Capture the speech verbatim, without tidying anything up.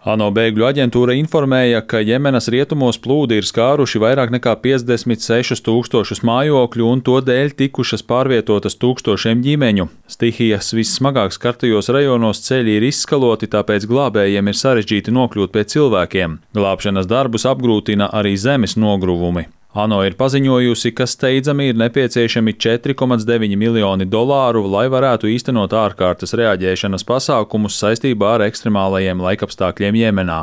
ANO bēgļu aģentūra informēja, ka Jemenas rietumos plūdi ir skāruši vairāk nekā piecdesmit sešus tūkstošus mājokļu un to dēļ tikušas pārvietotas tūkstošiem ģimeņu. Stihijas vissmagāk skartajos rajonos ceļi ir izskaloti, tāpēc glābējiem ir sarežģīti nokļūt pie cilvēkiem. Glābšanas darbus apgrūtina arī zemes nogruvumi. ANO ir paziņojusi, ka steidzami ir nepieciešami četri komats deviņi miljoni dolāru, lai varētu īstenot ārkārtas reaģēšanas pasākumus saistībā ar ekstremālajiem laikapstākļiem Jemenā.